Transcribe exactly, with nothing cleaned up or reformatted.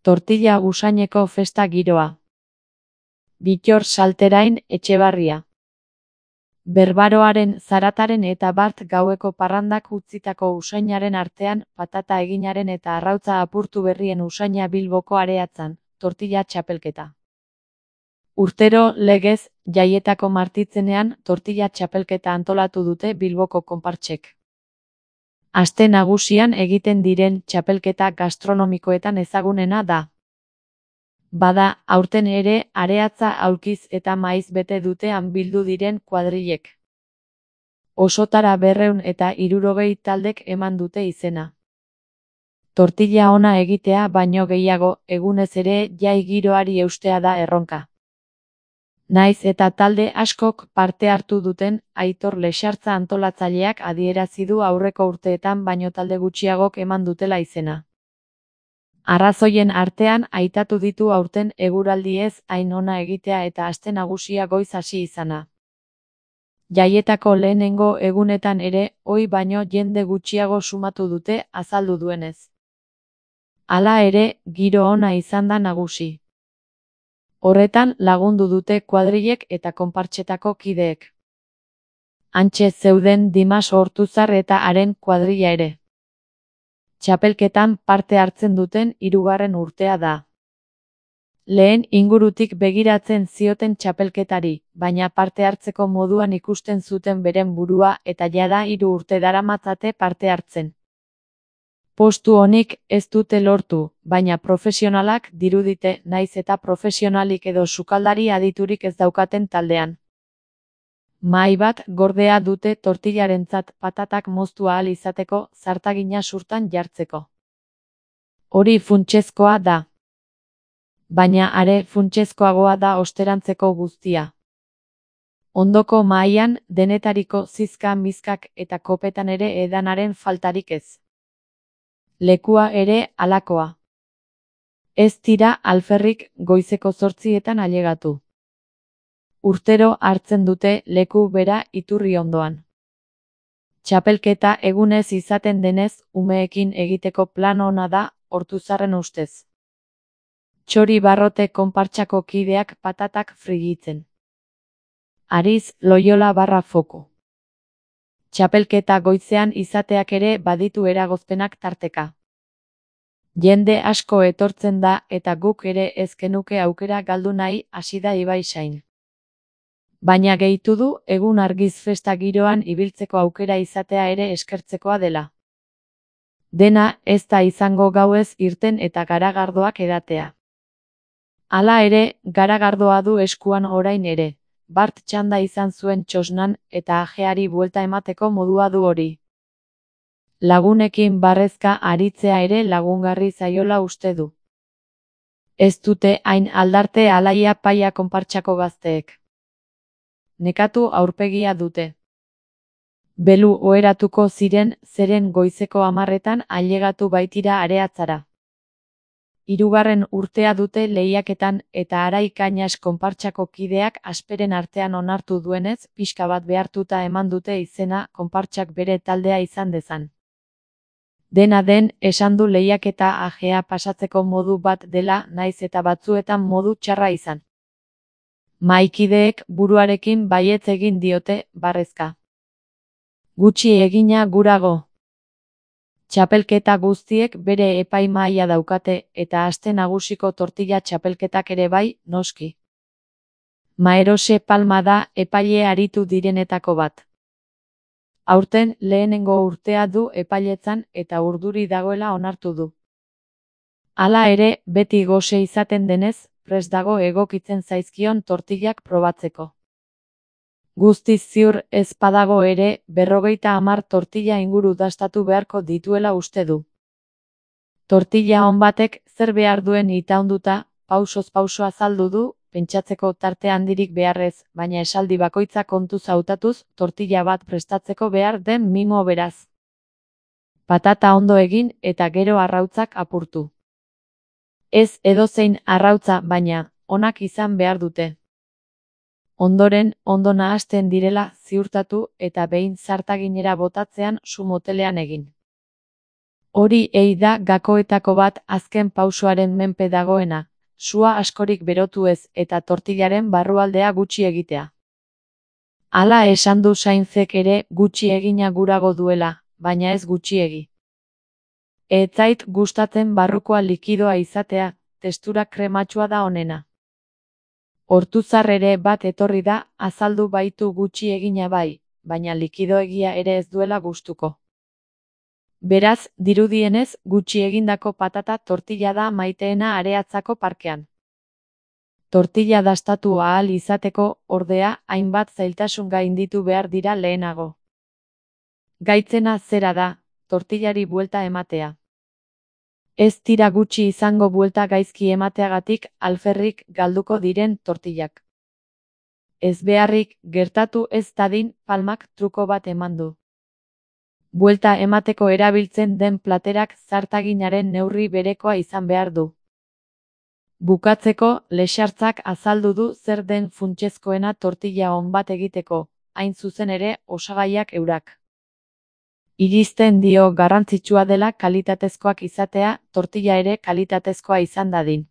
Tortilla usaineko festa giroa. Bittor Salterain Etxebarria. Berbaroaren, zarataren eta bart gaueko parrandak utzitako usainaren artean, patata eginaren eta arrautza apurtu berrien usaina Bilboko areatzan, tortilla txapelketa. Urtero, legez, Jaietako martitzenean, tortilla txapelketa antolatu dute Bilboko konpartsek. Aste nagusian egiten diren txapelketa gastronomikoetan ezagunena da. Bada, aurten ere, areatza aulkiz eta maiz bete dutean bildu diren kuadrilek. Osotara berrehun eta hirurogei taldek eman dute izena. Tortilla ona egitea baino gehiago, egunez ere jai giroari eustea da erronka. Naiz eta talde askok parte hartu duten, Aitor Lexartza antolatzaileak adierazi du aurreko urteetan baino talde gutxiagok eman dutela izena. Arrazoien artean aitatu ditu aurten eguraldi ez hain ona egitea eta aste nagusia goiz hasi izana. Jaietako lehenengo egunetan ere, ohi baino jende gutxiago sumatu dute, azaldu duenez. Hala ere, giro ona izan da nagusi. Horretan lagundu dute kuadrilek eta konpartsetako kideek. Hantxe zeuden Dimas Ortuzar eta haren kuadrilla ere. Txapelketan parte hartzen duten hirugarren urtea da. Lehen ingurutik begiratzen zioten txapelketari, baina parte hartzeko moduan ikusten zuten beren burua eta jada hiru urte daramatzate parte hartzen. Postu honik ez dute lortu, baina profesionalak dirudite naiz eta profesionalik edo sukaldari aditurik ez daukaten taldean. Mahai bat gordea dute tortillarentzat patatak moztu ahal izateko zartagina surtan jartzeko. Hori funtsezkoa da. Baina are funtsezkoagoa da osterantzeko guztia. Ondoko mahaian denetariko zizka mizkak eta kopetan ere edanaren faltarik ez. Lekua ere halakoa. Ez tira alferrik goizeko zortzietan ailegatu. Urtero hartzen dute leku bera iturri ondoan. Txapelketa egunez izaten denez, umeekin egiteko plan ona da, Ortuzarren ustez. Txori barrote konpartsako kideak patatak frigitzen. Ariz, Loiola barra foku. Txapelketa goizean izateak ere baditu eragozpenak tarteka. Jende asko etortzen da eta guk ere ez genuke aukera galdu nahi, hasi da Ibaisain. Baina gehitu du, egun argiz festa giroan ibiltzeko aukera izatea ere eskertzekoa dela. Dena ez da izango gauez irten eta garagardoak edatea. Hala ere, garagardoa du eskuan orain ere, bart txanda izan zuen txosnan eta ajeari buelta emateko modua du hori. Lagunekin barrezka aritzea ere lagungarri zaiola uste du. Ez dute hain aldarte alaia paia konpartsako gazteek. Nekatu aurpegia dute. Belu oheratuko ziren, zeren goizeko hamarretan ailegatu baitira areatzara. Hirugarren urtea dute lehiaketan eta Arai Kainas konpartsako kideak asperen artean onartu duenez, pixka bat behartuta eman dute izena konpartsak bere taldea izan dezan. Dena den, esan du lehiaketa ajea pasatzeko modu bat dela, naiz eta batzuetan modu txarra izan. Mahaikideek buruarekin baietz egin diote, barrezka. Gutxi egina gurago. Txapelketa guztiek bere epaimahaia daukate eta aste nagusiko tortilla txapelketak ere bai, noski. Maerose Palma da epaile aritu direnetako bat. Aurten lehenengo urtea du epailetzan eta urduri dagoela onartu du. Hala ere, beti gose izaten denez, prest dago egokitzen zaizkion tortillak probatzeko. Guztiz ziur ez badago ere, berrogeita hamar tortilla inguru dastatu beharko dituela uste du. Tortilla on batek zer behar duen itaunduta, pausoz pauso azaldu du, pentsatzeko tarte handirik beharrez, baina esaldi bakoitza kontuz hautatuz, tortilla bat prestatzeko behar den mimo beraz. Patata ondo egin eta gero arrautzak apurtu. Ez edozein arrautza, baina, onak izan behar dute. Ondoren, ondo nahasten direla ziurtatu eta behin zartaginera botatzean su motelean egin. Hori ei da gakoetako bat azken pausoaren menpe dagoena, sua askorik berotu ez eta tortillaren barrualdea gutxi egitea. Hala esan du Sainzek ere gutxi egina gurago duela, baina ez gutxiegi. Ez zait gustatzen barrukoa likidoa izatea, testura krematsua da onena. Ortuzar ere bat etorri da, azaldu baitu gutxi egina bai, baina likidoegia ere ez duela gustuko. Beraz, dirudienez, gutxi egindako patata tortilla da maiteena Areatzako parkean. Tortilla dastatu ahal izateko, ordea, hainbat zailtasun gainditu behar dira lehenago. Gaitzena zera da, tortillari buelta ematea. Ez dira gutxi izango buelta gaizki emateagatik alferrik galduko diren tortillak. Ez beharrik, gertatu ez dadin, Palmak truko bat eman du. Buelta emateko erabiltzen den platerak zartaginaren neurri berekoa izan behar du. Bukatzeko, Lexartzak azaldu du zer den funtsezkoena tortilla on bat egiteko, hain zuzen ere osagaiak eurak. Irizten dio garrantzitsua dela kalitatezkoak izatea, tortilla ere kalitatezkoa izan dadin.